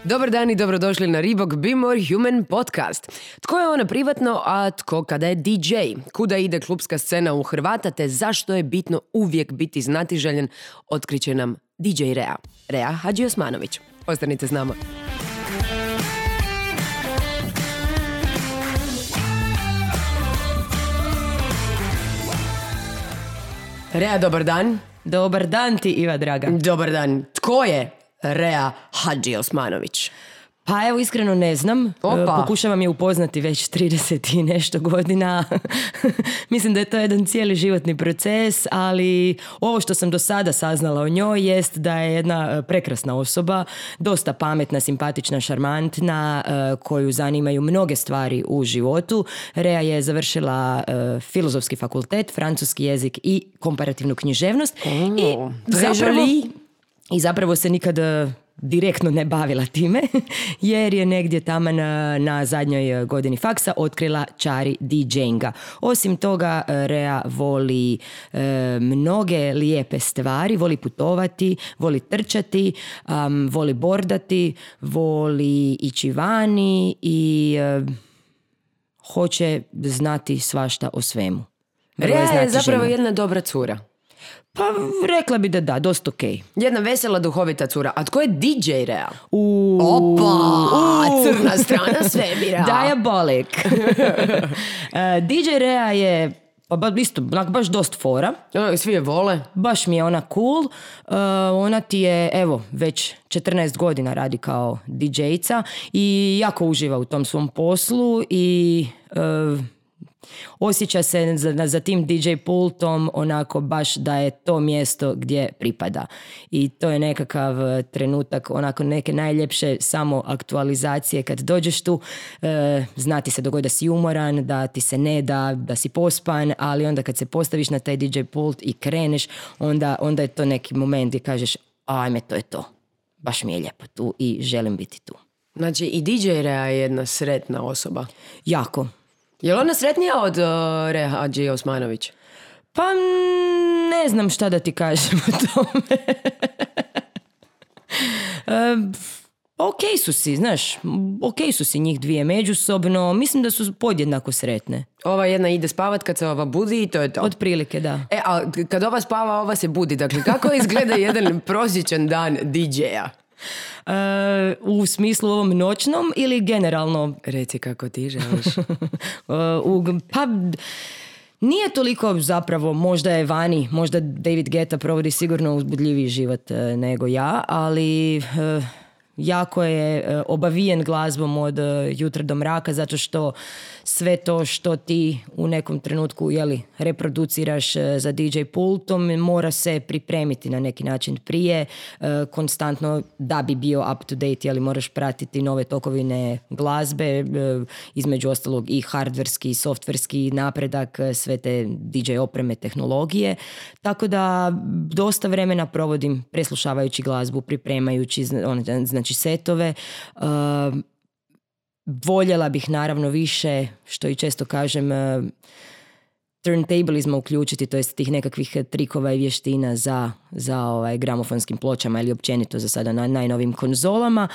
Dobar dan i dobrodošli na Reebok Be More Human podcast. Tko je ona privatno, a tko kada je DJ? Kuda ide klubska scena u Hrvata, te zašto je bitno uvijek biti znatiželjen, otkriće nam DJ Rea. Rea Hadžiosmanović. Ostanite s nama. Rea, dobar dan. Dobar dan ti, Iva draga. Dobar dan. Tko je Rea Hadžiosmanović? Pa evo, iskreno ne znam. Opa. Pokušavam je upoznati već 30 i nešto godina. Mislim da je to jedan cijeli životni proces, ali ovo što sam do sada saznala o njoj jest da je jedna prekrasna osoba, dosta pametna, simpatična, šarmantna, koju zanimaju mnoge stvari u životu. Rea je završila filozofski fakultet, francuski jezik i komparativnu književnost. I zapravo se nikad direktno ne bavila time, jer je negdje tamo na zadnjoj godini faksa otkrila čari DJinga. Osim toga, Rea voli mnoge lijepe stvari, voli putovati, voli trčati, voli bordati, voli ići vani i hoće znati svašta o svemu. Rea je zapravo jedna dobra cura. Pa rekla bi da, dosta okej. Jedna vesela, duhovita cura. A tko je DJ Rea? Opa! Crna strana svemira. Diabolik. DJ Rea je isto, baš dosta fora. Svi je vole. Baš mi je ona cool. Ona ti je, evo, već 14 godina radi kao DJ-ica i jako uživa u tom svom poslu i osjeća se za tim DJ pultom onako baš da je to mjesto gdje pripada. I to je nekakav trenutak, onako neke najljepše samo aktualizacije kad dođeš tu. Zna ti se dogodi da si umoran, da ti se ne da si pospan, ali onda kad se postaviš na taj DJ pult i kreneš, onda je to neki moment gdje kažeš ajme, to je to. Baš mi je lijepo tu i želim biti tu. Znači i DJ Rea je jedna sretna osoba. Jako. Je li ona sretnija od Rea Hadžiosmanović? Pa ne znam šta da ti kažem o tome. Okej su si, znaš, okej su si njih dvije međusobno. Mislim da su podjednako sretne. Ova jedna ide spavat kad se ova budi i to je to. Otprilike, da. A kad ova spava, ova se budi. Dakle, kako izgleda jedan prosječan dan DJ-a? U smislu ovom noćnom ili generalno? Reci kako ti želiš. Pa nije toliko zapravo, možda je vani, možda David Guetta provodi sigurno uzbudljiviji život nego ja, ali jako je obavijen glazbom od jutra do mraka, zato što sve to što ti u nekom trenutku reproduciraš za DJ pultom mora se pripremiti na neki način prije, konstantno da bi bio up to date, moraš pratiti nove tokovine glazbe, između ostalog i hardverski i softverski napredak, sve te DJ opreme, tehnologije, tako da dosta vremena provodim preslušavajući glazbu, pripremajući znači setove. Voljela bih naravno više, što i često kažem, turntablizma uključiti, to jest tih nekakvih trikova i vještina za gramofonskim pločama ili općenito za sada na najnovim konzolama.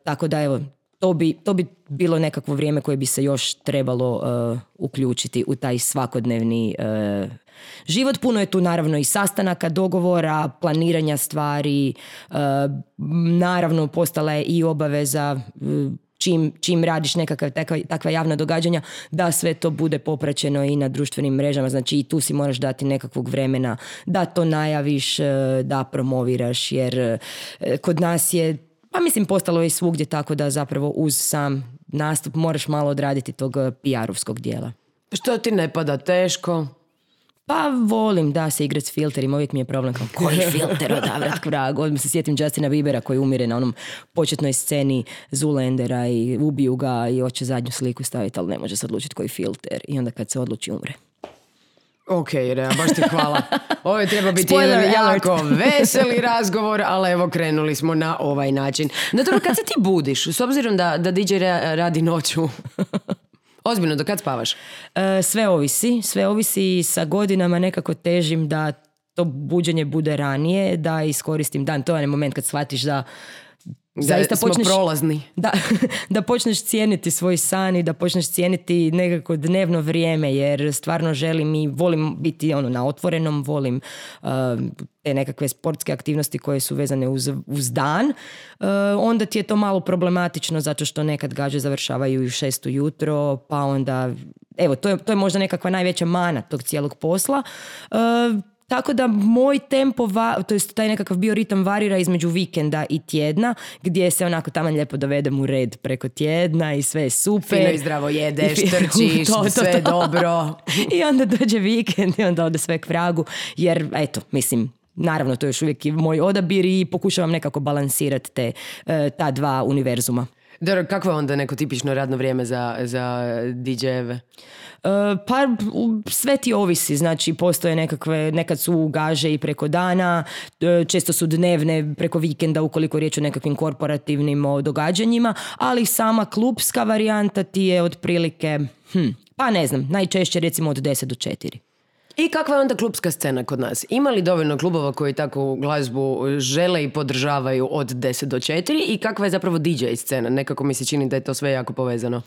Tako da evo, to bi bilo nekakvo vrijeme koje bi se još trebalo uključiti u taj svakodnevni život. Puno je tu naravno i sastanaka, dogovora, planiranja stvari, naravno postala je i obaveza čim radiš nekakva takva javna događanja, da sve to bude popraćeno i na društvenim mrežama, znači i tu si moraš dati nekakvog vremena da to najaviš, da promoviraš, jer kod nas je, pa mislim postalo je i svugdje tako da zapravo uz sam nastup moraš malo odraditi tog PR-ovskog dijela. Što ti ne pada teško? Pa volim da se igrati s filterima, uvijek mi je problem kao koji filter odabrat k vragu. Odmah se sjetim Justina Biebera koji umire na onom početnoj sceni Zoolandera i ubiju ga i hoće zadnju sliku staviti, ali ne može se odlučiti koji filter i onda kad se odluči umre. Ok, Rea, baš ti hvala. Ovo je treba biti jedan jako veseli razgovor, ali evo krenuli smo na ovaj način. No dobro, kad se ti budiš, s obzirom da DJ Rea radi noću, ozbiljno, do kad spavaš? Sve ovisi, sa godinama nekako težim da to buđenje bude ranije, da iskoristim dan. To je onaj moment kad shvatiš da zaista smo prolazni. Da počneš cijeniti svoj san i da počneš cijeniti nekako dnevno vrijeme, jer stvarno želim i volim biti na otvorenom, volim te nekakve sportske aktivnosti koje su vezane uz dan. Onda ti je to malo problematično zato što nekad gađe završavaju i u 6 ujutro, pa onda evo, to je možda nekakva najveća mana tog cijelog posla. Tako da moj tempo, to jest taj nekakav bioritam varira između vikenda i tjedna, gdje se onako tamo lijepo dovedem u red preko tjedna i sve je super. Fino i zdravo jedeš, trčiš, sve je dobro. I onda dođe vikend i onda ode sve k vragu, jer eto, mislim, naravno to je još uvijek moj odabir i pokušavam nekako balansirati ta dva univerzuma. Dobro, kakvo je onda neko tipično radno vrijeme za DJ-eve? Pa sve ti ovisi, znači postoje nekad su gaže i preko dana, često su dnevne preko vikenda ukoliko je riječ o nekakvim korporativnim događanjima, ali sama klubska varijanta ti je otprilike, pa ne znam, najčešće recimo od 10 do 4. I kakva je onda klubska scena kod nas? Ima li dovoljno klubova koji takvu glazbu žele i podržavaju od 10 do 4 i kakva je zapravo DJ scena? Nekako mi se čini da je to sve jako povezano.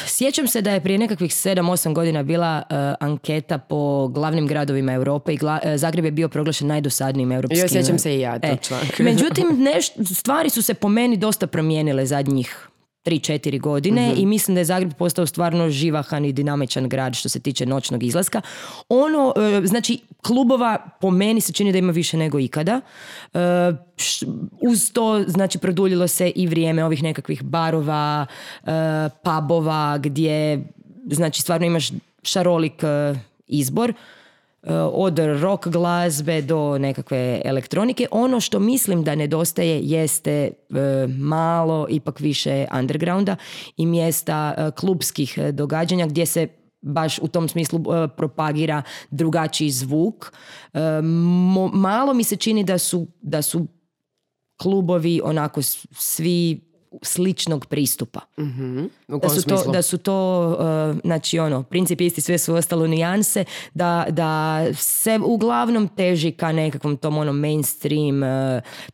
Sjećam se da je prije nekakvih 7-8 godina bila anketa po glavnim gradovima Europe i Zagreb je bio proglašen najdosadnijim europskim. Jo, sjećam se i ja tog članka. Međutim, stvari su se po meni dosta promijenile zadnjih 3-4 godine i mislim da je Zagreb postao stvarno živahan i dinamičan grad što se tiče noćnog izlaska. Znači, klubova po meni se čini da ima više nego ikada. Uz to, znači, produljilo se i vrijeme ovih nekakvih barova, pubova, gdje, znači, stvarno imaš šarolik izbor. Od rock glazbe do nekakve elektronike. Ono što mislim da nedostaje jeste malo ipak više undergrounda i mjesta klubskih događanja gdje se baš u tom smislu propagira drugačiji zvuk. Malo mi se čini da su klubovi onako svi sličnog pristupa. U kom smislu? Da su to znači princip isti, sve su ostalo nijanse, da se uglavnom teži ka nekakvom tom mainstream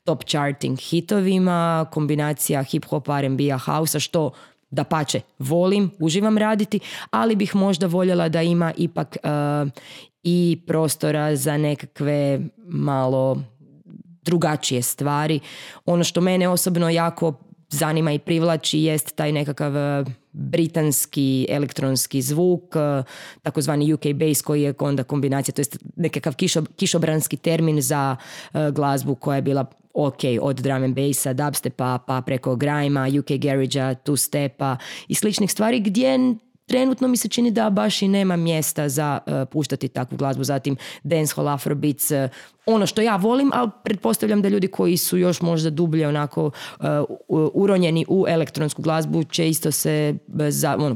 top charting hitovima, kombinacija hip-hopa, R&B-a, house-a, što dapače volim, uživam raditi, ali bih možda voljela da ima ipak i prostora za nekakve malo drugačije stvari. Ono što mene osobno jako zanima i privlači jest taj nekakav britanski elektronski zvuk, takozvani UK bass koji je onda kombinacija, to je nekakav kišobranski termin za glazbu koja je bila ok, od drum and bassa, dubstepa, pa preko grima, UK garage-a, two-stepa i sličnih stvari gdje trenutno mi se čini da baš i nema mjesta za puštati takvu glazbu. Zatim dancehall, afrobeats, ono što ja volim, ali pretpostavljam da ljudi koji su još možda dublje onako uronjeni u elektronsku glazbu će isto se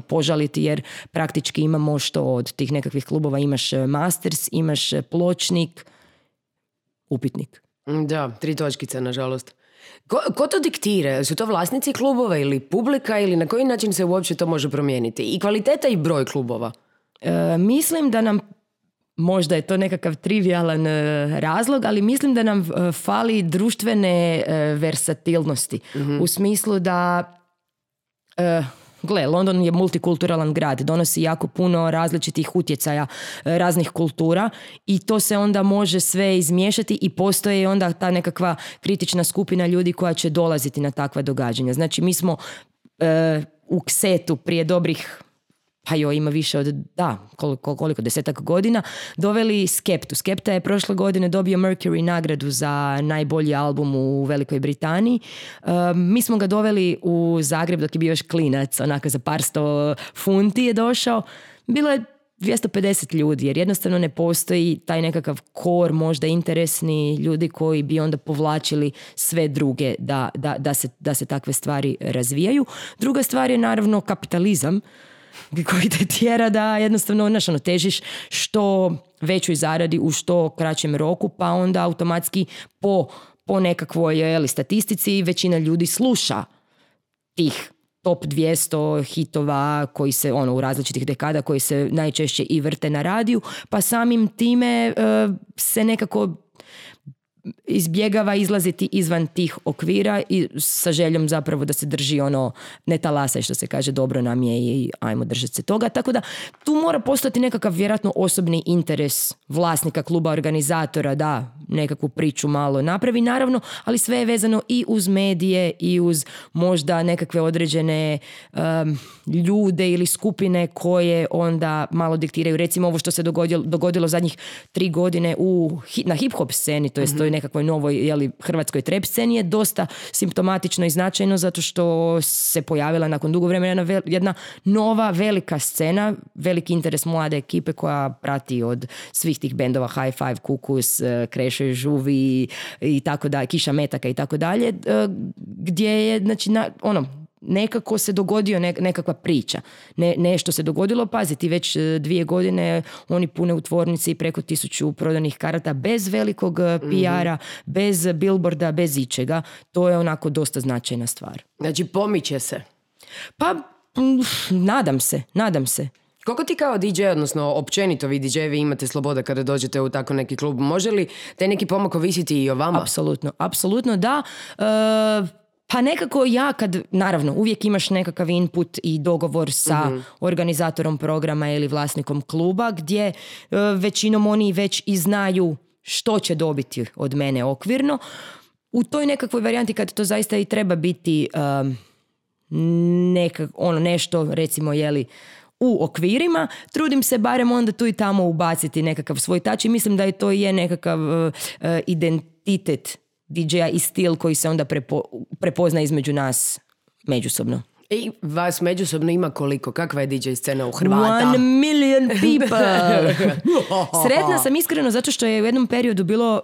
požaliti, jer praktički imamo što od tih nekakvih klubova, imaš masters, imaš pločnik, upitnik. Da, 3 točkice, nažalost. Ko to diktira? Su to vlasnici klubova ili publika ili na koji način se uopće to može promijeniti? I kvaliteta i broj klubova? Mislim da nam, možda je to nekakav trivialan razlog, ali mislim da nam fali društvene versatilnosti. U smislu da London je multikulturalan grad, donosi jako puno različitih utjecaja raznih kultura i to se onda može sve izmiješati i postoji onda ta nekakva kritična skupina ljudi koja će dolaziti na takva događanja. Znači mi smo u Ksetu prije dobrih, pa ima više od, koliko 10 godina, doveli Skeptu. Skepta je prošle godine dobio Mercury nagradu za najbolji album u Velikoj Britaniji. Mi smo ga doveli u Zagreb dok je bio još klinac, onako za par 100 funti je došao. Bilo je 250 ljudi, jer jednostavno ne postoji taj nekakav kor, možda interesni ljudi koji bi onda povlačili sve druge da se takve stvari razvijaju. Druga stvar je naravno kapitalizam, koji te tjera da jednostavno težiš što većoj zaradi u što kraćem roku, pa onda automatski po nekakvoj statistici većina ljudi sluša tih top 200 hitova koji se u različitih dekada koji se najčešće i vrte na radiju, pa samim time se nekako izbjegava izlaziti izvan tih okvira i sa željom zapravo da se drži ono, ne talasaj što se kaže, dobro nam je i ajmo držati se toga. Tako da tu mora postati nekakav vjerojatno osobni interes vlasnika kluba, organizatora, da nekakvu priču malo napravi, naravno, ali sve je vezano i uz medije i uz možda nekakve određene ljude ili skupine koje onda malo diktiraju. Recimo ovo što se dogodilo zadnjih 3 godine na hip-hop sceni, to jest toj nekakvoj novoj hrvatskoj trap sceni, je dosta simptomatično i značajno zato što se pojavila nakon dugo vremena jedna nova velika scena, veliki interes mlade ekipe koja prati od svih tih bendova High Five, Kukus, Krešo i Žuvi i tako dalje, Kiša Metaka i tako dalje, gdje je znači nekako se dogodio nekakva priča. Nešto se dogodilo, paziti, već 2 godine oni pune u tvornici preko 1000 prodanih karata bez velikog PR-a, bez billboarda, bez ičega. To je onako dosta značajna stvar. Znači pomiče se? Pa, nadam se. Koliko ti kao DJ, odnosno općenito vi DJ-evi imate slobode kada dođete u tako neki klub? Može li taj neki pomak ovisiti i o vama? Apsolutno da. Pa nekako ja naravno, uvijek imaš nekakav input i dogovor sa organizatorom programa ili vlasnikom kluba gdje većinom oni već i znaju što će dobiti od mene okvirno. U toj nekakvoj varijanti kad to zaista i treba biti nešto recimo u okvirima, trudim se barem onda tu i tamo ubaciti nekakav svoj touch i mislim da je to nekakav identitet DJ-a i stil koji se onda prepozna između nas međusobno. I vas međusobno ima koliko? Kakva je DJ scena u Hrvata? 1 million people! Sretna sam iskreno zato što je u jednom periodu bilo,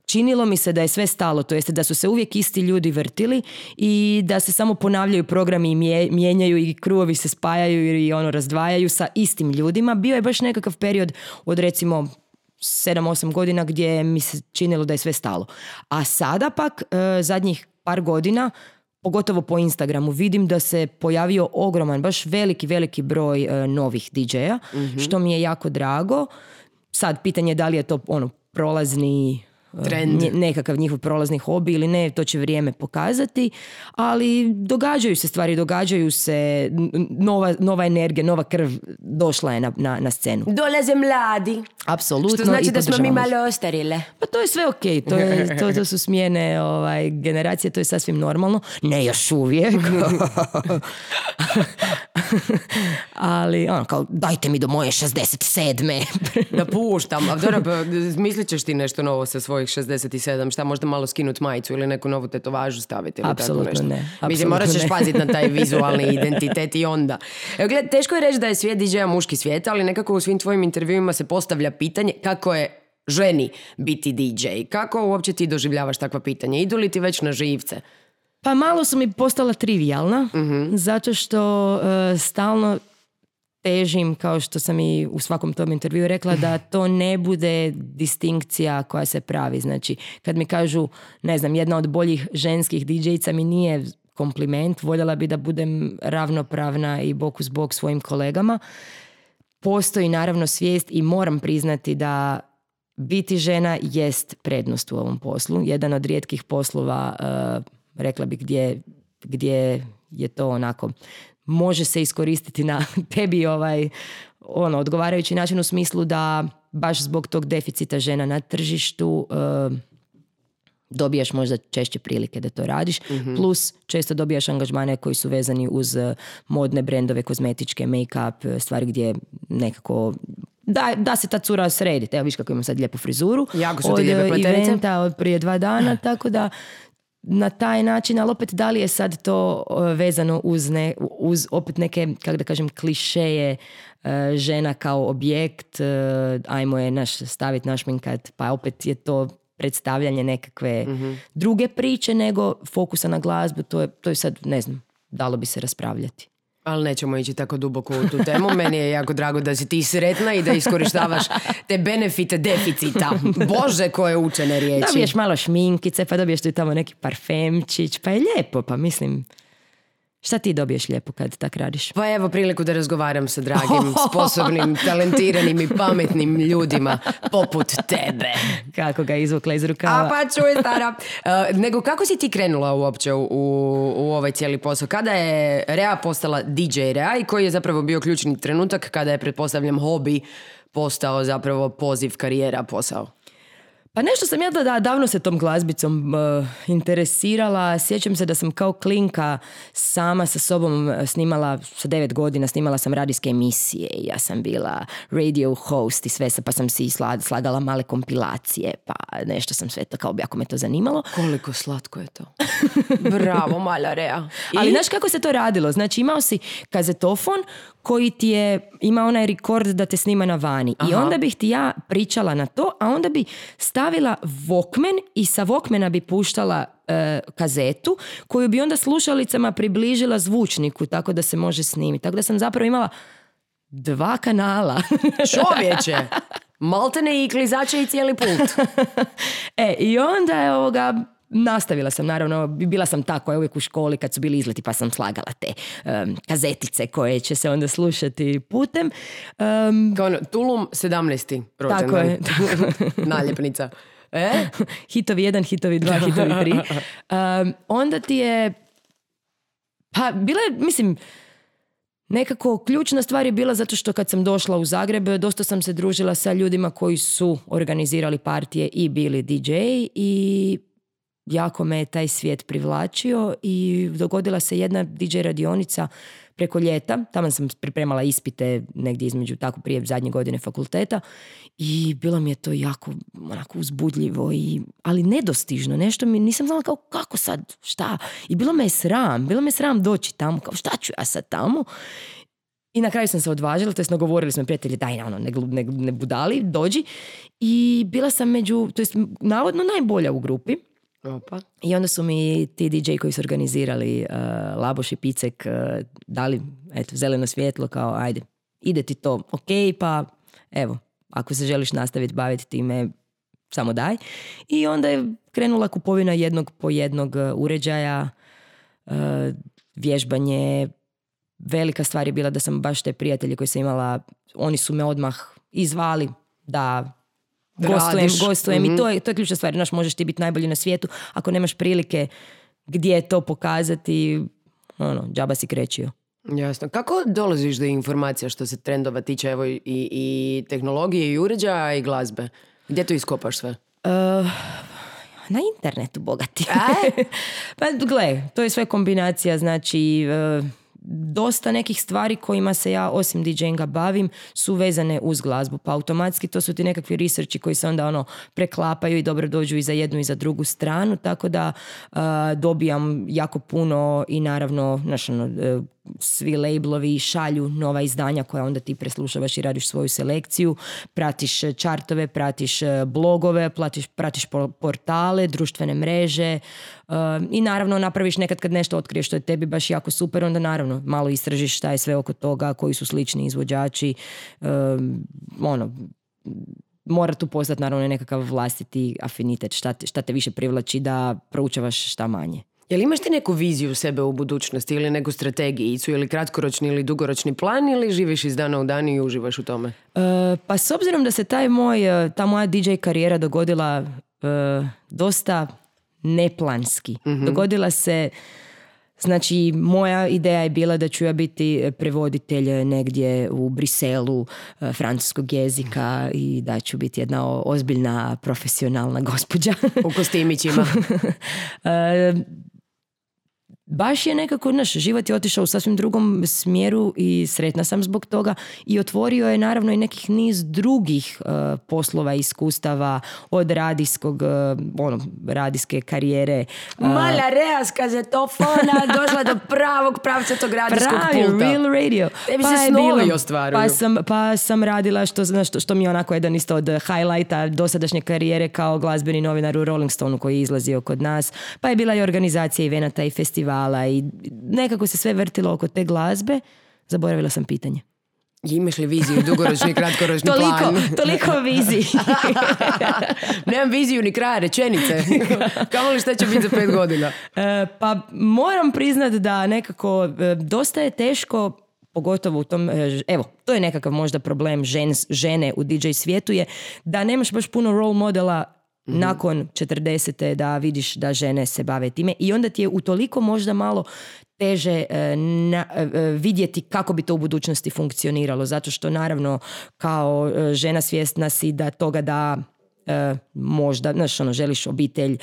činilo mi se da je sve stalo, to jest da su se uvijek isti ljudi vrtili i da se samo ponavljaju programi i mijenjaju i krugovi se spajaju i razdvajaju sa istim ljudima. Bio je baš nekakav period od recimo 7-8 godina gdje mi se činilo da je sve stalo. A sada pak zadnjih par godina, pogotovo po Instagramu, vidim da se pojavio ogroman, baš veliki broj novih DJ-a, što mi je jako drago. Sad pitanje je da li je to prolazni trend, nekakav njihov prolazni hobi ili ne, to će vrijeme pokazati, ali događaju se stvari, događaju se, nova energija, nova krv došla je na scenu. Dolaze mladi. Apsolutno. Što znači da smo mi malo ostarile. Pa to je sve okej, to su smjene generacije, to je sasvim normalno. Ne još uvijek. Ali kao dajte mi do moje 67. Da puštam. A dobro, mislit ćeš ti nešto novo sa svojih 67, šta možda malo skinut majicu ili neku novu tetovažu staviti ili apsolutno tako nešto. Ne. Mislim, morat ćeš paziti na taj vizualni identitet i onda. Evo, gled, teško je reći da je svijet DJ-a muški svijet, ali nekako u svim tvojim intervjuima se postavlja pitanje kako je ženi biti DJ. Kako uopće ti doživljavaš takva pitanja? Idu li ti već na živce? Pa malo su mi postala trivijalna, zato što stalno težim, kao što sam i u svakom tom intervju rekla, da to ne bude distinkcija koja se pravi. Znači, kad mi kažu, ne znam, jedna od boljih ženskih DJ-ica mi nije kompliment, voljela bi da budem ravnopravna i bok uz bok svojim kolegama. Postoji naravno svijest i moram priznati da biti žena jest prednost u ovom poslu. Jedan od rijetkih poslova, rekla bih, gdje je to onako, može se iskoristiti na tebi odgovarajući način, u smislu da baš zbog tog deficita žena na tržištu dobijaš možda češće prilike da to radiš, plus često dobijaš angažmane koji su vezani uz modne brendove, kozmetičke, make-up, stvari gdje nekako da se ta cura sredi. Evo viš kako imam sad lijepu frizuru. Jako su ti lijepe pleterice. Eventa od prije 2 dana, tako da na taj način, ali opet da li je sad to vezano uz opet neke, kako da kažem, klišeje žena kao objekt, ajmo je staviti našminkat, pa opet je to predstavljanje nekakve druge priče nego fokusa na glazbu, to je sad, ne znam, dalo bi se raspravljati. Ali nećemo ići tako duboko u tu temu. Meni je jako drago da si ti sretna i da iskorištavaš te benefite deficita. Bože, koje učene riječi. Dobiješ malo šminkice, pa dobiješ tu i tamo neki parfemčić, pa je lijepo, pa mislim, Šta ti dobiješ lijepo kad tak radiš? Pa evo priliku da razgovaram sa dragim, sposobnim, talentiranim i pametnim ljudima poput tebe. Kako ga izvukla iz rukava? A pa čuj, stara. Nego kako si ti krenula uopće u ovaj cijeli posao? Kada je Rea postala DJ Rea i koji je zapravo bio ključni trenutak kada je, pretpostavljam, hobi postao zapravo poziv, karijera, posao? Pa nešto sam ja davno se tom glazbicom interesirala. Sjećam se da sam kao klinka sama sa sobom snimala, sa 9 godina snimala sam radijske emisije. Ja sam bila radio host i sve, pa sam si slagala male kompilacije, pa nešto sam sve to, kao jako me to zanimalo. Koliko slatko je to. Bravo, mala Rea. Ali znaš kako se to radilo? Znači imao si kazetofon koji ti je, ima onaj rekord da te snima na vani. Aha. I onda bih ti ja pričala na to, a onda bi stavila Walkman i sa Walkmana bi puštala kazetu koju bi onda slušalicama približila zvučniku tako da se može snimiti. Tako da sam zapravo imala 2 kanala. Čovječe! Maltene i klizače i cijeli put. I onda je nastavila sam, naravno, bila sam ta koja je uvijek u školi kad su bili izleti, pa sam slagala te kazetice koje će se onda slušati putem. Kao ono, Tulum 17. rođendan. Tako je. Naljepnica. Hitovi 1, hitovi 2, hitovi 3. Onda ti je, pa bila je, mislim, nekako ključna stvar je bila zato što kad sam došla u Zagreb, dosta sam se družila sa ljudima koji su organizirali partije i bili DJ i jako me je taj svijet privlačio i dogodila se jedna DJ radionica preko ljeta. Tamo sam pripremala ispite negdje između, tako prije zadnje godine fakulteta i bilo mi je to jako onako uzbudljivo, ali nedostižno. Nešto mi nisam znala kao kako sad, šta. I bilo me je sram doći tamo, kao šta ću ja sad tamo. I na kraju sam se odvažila, to jest nagovorili smo prijatelji, daj ne budali, dođi. I bila sam navodno najbolja u grupi. Opa. I onda su mi ti DJ koji su organizirali Laboš i Picek dali zeleno svjetlo kao ajde, ide ti to, ok, pa evo, ako se želiš nastaviti baviti time, samo daj. I onda je krenula kupovina jednog po jednog uređaja, vježbanje. Velika stvar je bila da sam baš te prijatelje koje sam imala, oni su me odmah izvali da gostujem mm-hmm. I to je ključna stvar. Znaš, možeš ti biti najbolji na svijetu ako nemaš prilike gdje to pokazati, džaba si krećio. Jasno. Kako dolaziš do informacija što se trendova tiče, evo i tehnologije i uređaja i glazbe? Gdje to iskopaš sve? Na internetu, bogati. Pa gle, to je sve kombinacija, znači dosta nekih stvari kojima se ja osim DJ-inga bavim su vezane uz glazbu, pa automatski to su ti nekakvi researchi koji se onda preklapaju i dobro dođu i za jednu i za drugu stranu, tako da dobijam jako puno i naravno svi labelovi šalju nova izdanja koja onda ti preslušavaš i radiš svoju selekciju, pratiš čartove, pratiš blogove, pratiš portale, društvene mreže i naravno napraviš nekad kad nešto otkriješ što je tebi baš jako super, onda naravno malo istražiš šta je sve oko toga, koji su slični izvođači, mora tu postati naravno nekakav vlastiti afinitet, šta te više privlači da proučavaš šta manje. Jel imaš ti neku viziju sebe u budućnosti ili neku strategijicu ili kratkoročni ili dugoročni plan ili živiš iz dana u dan i uživaš u tome? Pa s obzirom da se ta moja DJ karijera dogodila dosta neplanski. Mm-hmm. Dogodila se, znači moja ideja je bila da ću ja biti prevoditelj negdje u Briselu francuskog jezika i da ću biti jedna ozbiljna profesionalna gospođa. U kostimićima. Baš je nekako, život je otišao u sasvim drugom smjeru i sretna sam zbog toga i otvorio je naravno i nekih niz drugih poslova i iskustava od radijske karijere. Mala Rea s kazetofona došla do pravog pravcatog radijskog pulta. Real radio. Tebi se snovi ostvaruju. Pa sam radila što mi je onako jedan isto od highlighta dosadašnje karijere kao glazbeni novinar u Rolling Stoneu koji je izlazio kod nas. Pa je bila i organizacija evenata i festivala i nekako se sve vrtilo oko te glazbe. Zaboravila sam pitanje. Imaš li viziju, dugoročni, kratkoročni plan? Toliko o viziji. Nemam viziju ni kraja rečenice. Kamo li šta će biti za 5 godina? Pa moram priznat da nekako dosta je teško, pogotovo u tom, evo, to je nekakav možda problem žene u DJ svijetu je da nemaš baš puno role modela nakon 40. da vidiš da žene se bave time i onda ti je utoliko možda malo teže vidjeti kako bi to u budućnosti funkcioniralo, zato što naravno kao žena svjesna si da toga da možda, znaš, želiš obitelj,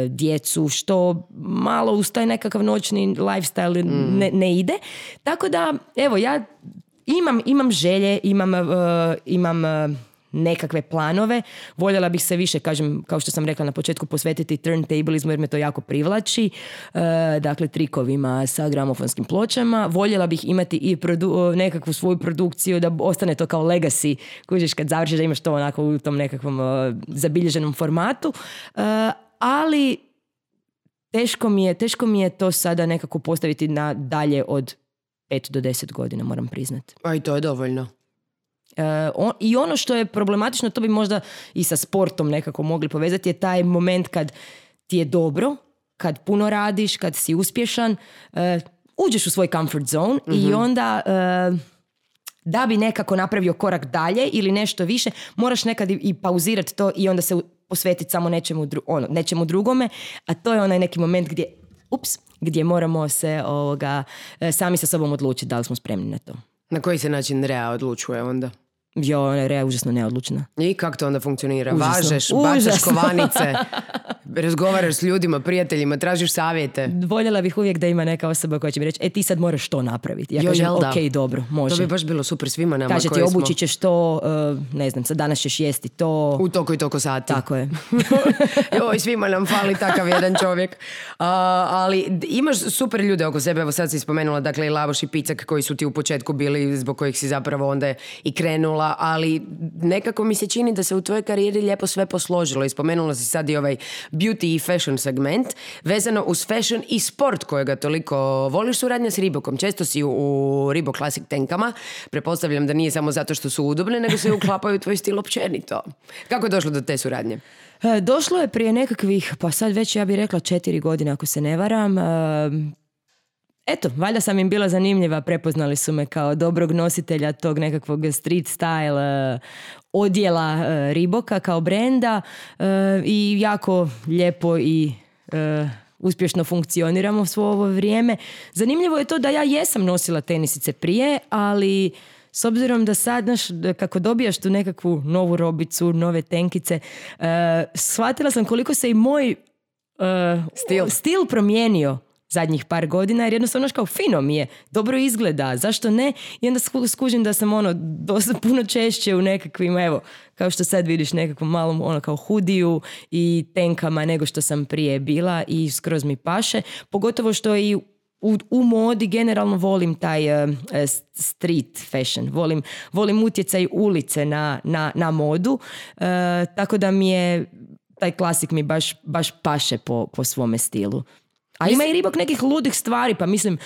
djecu, što malo uz taj nekakav noćni lifestyle ne ide. Tako da, evo, ja imam želje, imam nekakve planove. Voljela bih se više, kažem, kao što sam rekla na početku, posvetiti turntablizmu jer me to jako privlači. Dakle, trikovima sa gramofonskim pločama. Voljela bih imati i nekakvu svoju produkciju da ostane to kao legacy. Kužiš kad završiš da imaš to onako u tom nekakvom zabilježenom formatu. Ali teško mi je to sada nekako postaviti na dalje od 5 do 10 godina, moram priznati. A i to je dovoljno. I ono što je problematično, to bi možda i sa sportom nekako mogli povezati, je taj moment kad ti je dobro, kad puno radiš, kad si uspješan, uđeš u svoj comfort zone i onda da bi nekako napravio korak dalje ili nešto više, moraš nekad i pauzirati to i onda se posvetiti samo nečemu drugome, a to je onaj neki moment gdje moramo se sami sa sobom odlučiti da li smo spremni na to. Na koji se način Rea odlučuje onda? Rea je užasno neodlučna. I kako to onda funkcionira? Užasno. Važeš, bacaš kovanice, razgovaraš s ljudima, prijateljima, tražiš savjete. Voljela bih uvijek da ima neka osoba koja će mi reći, ti sad moraš to napraviti. Ja kažem, ok, dobro, može. To bi baš bilo super svima nama. Kaže ti, obući ćeš to, ne znam, sad danas ćeš jesti to. U toliko i toliko sati. Tako je. Joj, svima nam fali takav jedan čovjek. Ali imaš super ljude oko sebe, evo sad si spomenula, dakle, i Lavoš i Picak koji su ti u početku bili, zbog kojih si zapravo onda i krenula, ali nekako mi se čini da se u tvojoj karijeri lijepo sve posložilo i spomenula si sad i ovaj beauty i fashion segment vezano uz fashion i sport kojega toliko voliš. Suradnja s Reebokom, često si u Reebok Classic tenkama, pretpostavljam da nije samo zato što su udobne, nego se uklapaju tvoj stil općenito. Kako je došlo do te suradnje? Došlo je prije nekakvih, pa sad već ja bih rekla 4 godine ako se ne varam. Eto, valjda sam im bila zanimljiva, prepoznali su me kao dobrog nositelja tog nekakvog street style odjela Reeboka kao brenda i jako lijepo i uspješno funkcioniramo svo ovo vrijeme. Zanimljivo je to da ja jesam nosila tenisice prije, ali s obzirom da sad, znaš, kako dobijaš tu nekakvu novu robicu, nove tenkice, shvatila sam koliko se i moj stil promijenio zadnjih par godina, jer jednostavno kao fino mi je, dobro izgleda, zašto ne? I onda skužim da sam dosta puno češće u nekakvim, evo, kao što sad vidiš, nekakvom malom kao hudiju i tenkama nego što sam prije bila i skroz mi paše. Pogotovo što i u modi generalno volim taj street fashion, volim utjecaj ulice na modu, tako da mi je taj klasik mi baš paše po svome stilu. A ima i Reebok nekih ludih stvari, pa mislim,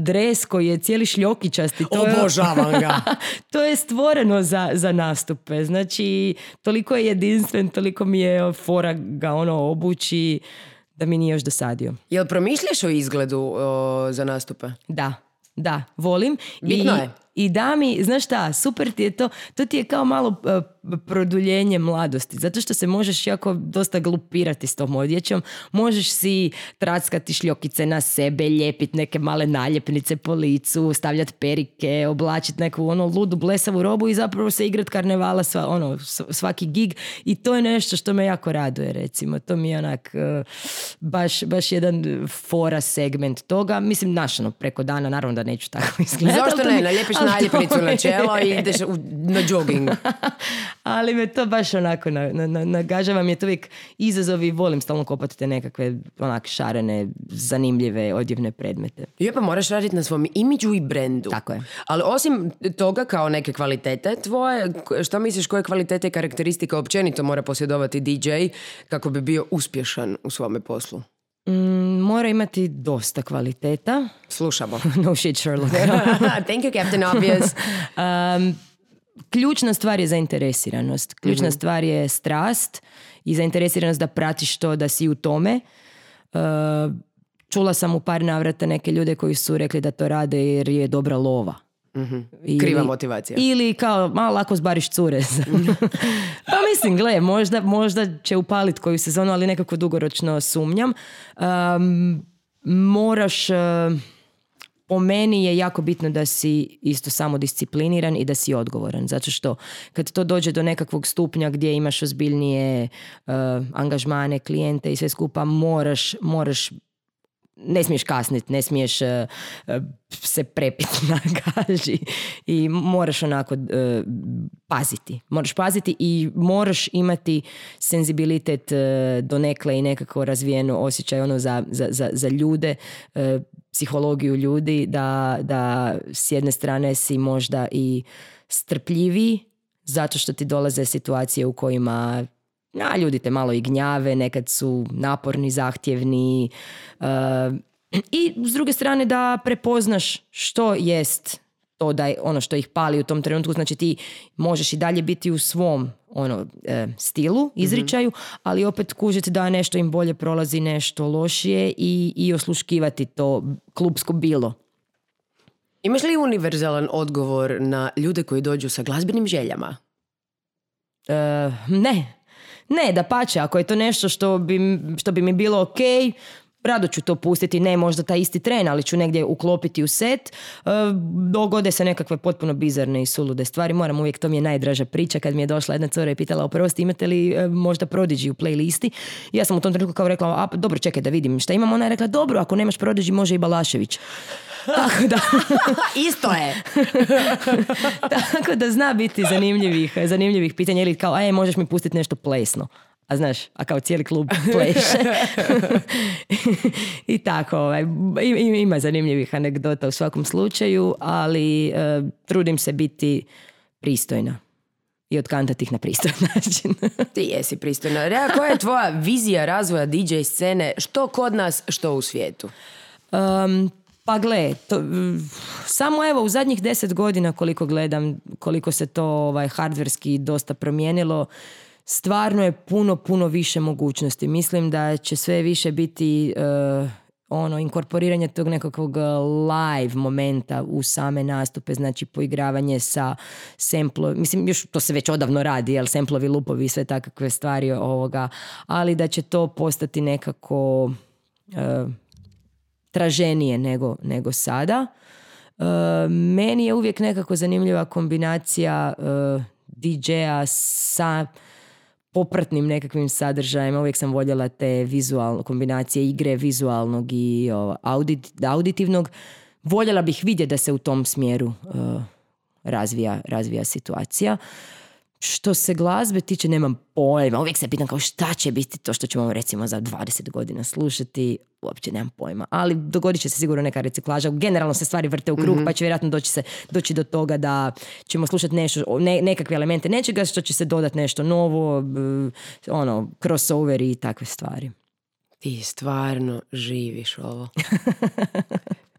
dres koji je cijeli šljokičasti. Obožavam ga. To je stvoreno za nastupe. Znači, toliko je jedinstven, toliko mi je fora ga obući da mi nije još dosadio. Jel promišljaš o izgledu za nastupe? Da, volim. Bitno je. I da mi, znaš šta, super ti je to ti je kao malo produljenje mladosti, zato što se možeš jako dosta glupirati s tom odjećom, možeš si trackati šljokice na sebe, lijepiti neke male naljepnice po licu, stavljati perike, oblačiti neku ludu blesavu robu i zapravo se igrat karnevala svaki gig i to je nešto što me jako raduje, recimo. To mi je onak baš jedan fora segment toga, mislim, preko dana, naravno da neću tako izgledati. Zašto ne? Naljepiš naljepnicu na čelo i ideš na jogging. Ali me to baš onako nagažava, mi je to uvijek izazov i volim stalno kopati te nekakve šarene, zanimljive odjevne predmete. Pa moraš raditi na svom imidžu i brendu. Tako je. Ali osim toga kao neke kvalitete tvoje, što misliš koje kvalitete i karakteristike općenito mora posjedovati DJ kako bi bio uspješan u svome poslu? Mora imati dosta kvaliteta. Slušamo. No shit, Sherlock. Thank you, Captain Obvious. Ključna stvar je zainteresiranost. Ključna stvar je strast i zainteresiranost da pratiš to, da si u tome. Čula sam u par navrata neke ljude koji su rekli da to rade jer je dobra lova. Kriva motivacija. Ili kao, malo lako zbariš cure. Pa mislim, gle, možda će upalit koju sezonu, ali nekako dugoročno sumnjam. Moraš... Po meni je jako bitno da si isto samodiscipliniran i da si odgovoran. Zato što kad to dođe do nekakvog stupnja gdje imaš ozbiljnije angažmane, klijente i sve skupa, moraš ne smiješ kasniti, ne smiješ se prepiti na gaži i moraš onako paziti. Moraš paziti i moraš imati senzibilitet donekle i nekako razvijeno osjećaj ono za ljude, psihologiju ljudi, da s jedne strane si možda i strpljiviji zato što ti dolaze situacije u kojima ljudi te malo i gnjave, nekad su naporni, zahtjevni i s druge strane da prepoznaš što jest to da je ono što ih pali u tom trenutku. Znači ti možeš i dalje biti u svom stilu, izričaju, ali opet kužiti da nešto im bolje prolazi, nešto lošije i osluškivati to klupsko bilo. Imaš li univerzalan odgovor na ljude koji dođu sa glazbenim željama? Ne, dapače, ako je to nešto što bi mi bilo ok, rado ću to pustiti, ne možda taj isti tren, ali ću negdje uklopiti u set. Dogode se nekakve potpuno bizarne i sulude stvari. Moram uvijek, to mi je najdraža priča, kad mi je došla jedna cura i pitala, oprosti, imate li možda Prodigy u playlisti? I ja sam u tom trenutku kao rekla, dobro, čekaj da vidim šta imam. Ona je rekla, dobro, ako nemaš Prodigy, može i Balašević. Tako da... Isto je. Tako da zna biti zanimljivih pitanja ili kao, možeš mi pustiti nešto plesno. A znaš, a kao cijeli klub pleše. I tako, ima zanimljivih anegdota u svakom slučaju, ali trudim se biti pristojna i otkantati ih na pristojan način. Ti jesi pristojna. Rea, koja je tvoja vizija razvoja DJ scene, što kod nas, što u svijetu? Pa gle, samo evo u zadnjih 10 godina koliko gledam, koliko se to hardverski dosta promijenilo, stvarno je puno više mogućnosti. Mislim da će sve više biti inkorporiranje tog nekakvog live momenta u same nastupe, znači poigravanje sa samplovi, mislim još to se već odavno radi, jel, samplovi, lupovi i sve takve stvari ovoga, ali da će to postati nekako traženije nego sada. Meni je uvijek nekako zanimljiva kombinacija DJ-a sa popratnim nekakvim sadržajima. Uvijek sam voljela te kombinacije igre vizualnog i auditivnog. Voljela bih vidjeti da se u tom smjeru razvija situacija. Što se glazbe tiče, nemam pojma. Uvijek se pitam kao šta će biti to što ćemo recimo za 20 godina slušati. Uopće nemam pojma. Ali dogodit će se sigurno neka reciklaža. Generalno se stvari vrte u krug, pa će vjerojatno doći do toga da ćemo slušati nešto, nekakve elemente nečega što će se dodati nešto novo, crossover i takve stvari. Ti stvarno živiš ovo.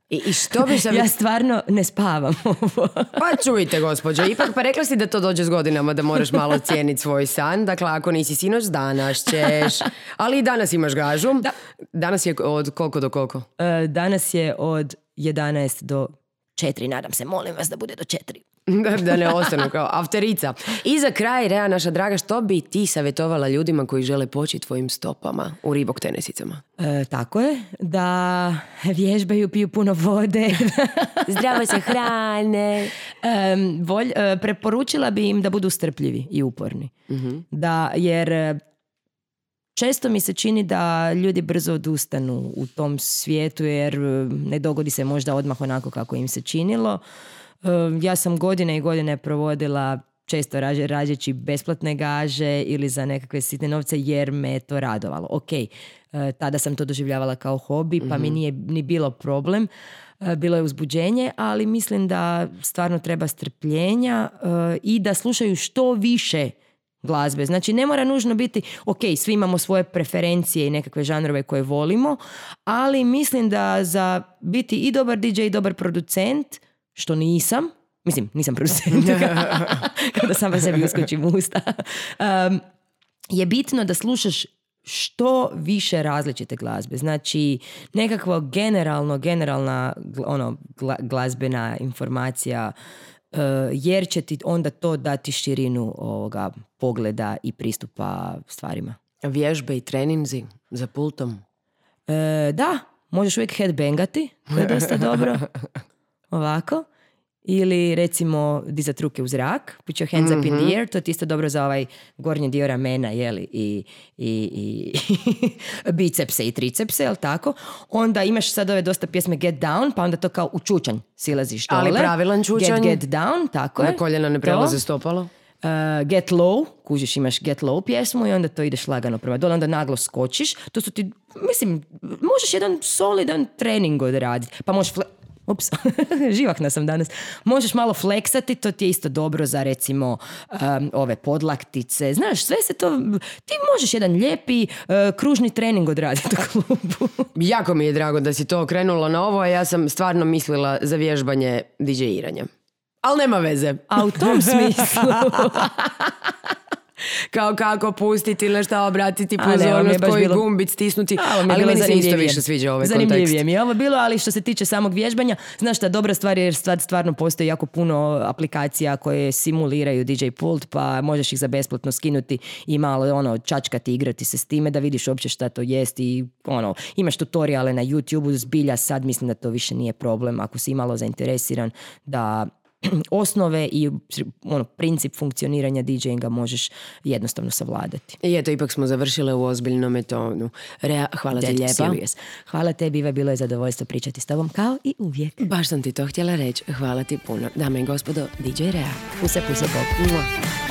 I što bi se... Ja stvarno ne spavam ovo. Pa čujte, gospođo, ipak pa rekla si da to dođe s godinama, da moraš malo cijeniti svoj san. Dakle, ako nisi sinoć, danas ćeš. Ali i danas imaš gažu. Da. Danas je od koliko do koliko? Danas je od 11 do 4, nadam se, molim vas da bude do 4. Da ne ostanu kao afterica. I za kraj, Rea, naša draga, što bi ti savjetovala ljudima koji žele poći tvojim stopama u Reebok tenisicama? Tako je, da vježbaju, piju puno vode. Zdravo se hrane. Preporučila bi im da budu strpljivi i uporni. Jer često mi se čini da ljudi brzo odustanu u tom svijetu jer ne dogodi se možda odmah onako kako im se činilo. Ja sam godine i godine provodila često rađeći besplatne gaže ili za nekakve sitne novce jer me je to radovalo. Ok, tada sam to doživljavala kao hobi pa mi nije ni bilo problem. Bilo je uzbuđenje, ali mislim da stvarno treba strpljenja i da slušaju što više glazbe. Znači ne mora nužno biti, ok, svi imamo svoje preferencije i nekakve žanrove koje volimo, ali mislim da za biti i dobar DJ i dobar producent, što nisam producent, kada sam sebi uskočim u usta, je bitno da slušaš što više različite glazbe. Znači, nekakva generalna glazbena informacija, jer će ti onda to dati širinu ovoga pogleda i pristupa stvarima. Vježbe i treninzi za pultom? Da, možeš uvijek headbangati, to je dosta dobro. Ovako. Ili recimo dizat ruke u zrak, put your hands up in the air, to je isto dobro za ovaj gornji dio ramena, jeli, i bicepse i tricepse, jel tako? Onda imaš sad ove dosta pjesme Get Down, pa onda to kao u čučanj silaziš dole. Ali pravilan čučanj? Get Down, tako je. Na koljena ne prelaze stopalo? Get Low, kužiš, imaš Get Low pjesmu i onda to ideš lagano prema dole, onda naglo skočiš. To su ti, mislim, možeš jedan solidan trening odraditi, pa možeš živahna sam danas. Možeš malo fleksati, to ti je isto dobro za recimo ove podlaktice. Znaš, sve se to... Ti možeš jedan lijepi kružni trening odraditi u klubu. Jako mi je drago da si to okrenula na ovo, a ja sam stvarno mislila za vježbanje DJ-iranja. Ali nema veze. A u tom smislu... Kao kako pustiti ili nešto obratiti pozornost, koji gumbit stisnuti, ali meni se isto više sviđa ovaj kontekst. Zanimljivije mi je ovo bilo, ali što se tiče samog vježbanja, znaš šta, dobra stvar je jer stvarno postoji jako puno aplikacija koje simuliraju DJ pult, pa možeš ih za besplatno skinuti i malo čačkati, igrati se s time da vidiš uopće šta to jest i imaš tutoriale na YouTube-u, zbilja sad mislim da to više nije problem ako si malo zainteresiran da osnove i princip funkcioniranja DJ-inga možeš jednostavno savladati. I eto, ipak smo završile u ozbiljnom tonu. Hvala ti lijepa. Serious. Hvala tebi, Iva, bilo je zadovoljstvo pričati s tobom kao i uvijek. Baš sam ti to htjela reći. Hvala ti puno. Dame i gospodo, DJ Rea. Puse, Bob.